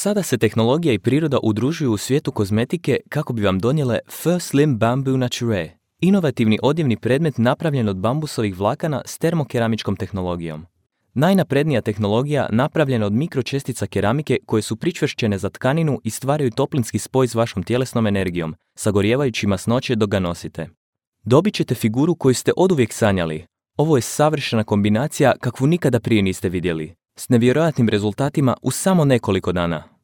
Sada se tehnologija i priroda udružuju u svijetu kozmetike kako bi vam donijele F-Slim Bamboo Nature, inovativni odjevni predmet napravljen od bambusovih vlakana s termokeramičkom tehnologijom. Najnaprednija tehnologija napravljena od mikročestica keramike koje su pričvršćene za tkaninu i stvaraju toplinski spoj s vašom tjelesnom energijom, sagorijevajući masnoće dok ga nosite. Dobit ćete figuru koju ste oduvijek sanjali. Ovo je savršena kombinacija kakvu nikada prije niste vidjeli, s nevjerojatnim rezultatima u samo nekoliko dana.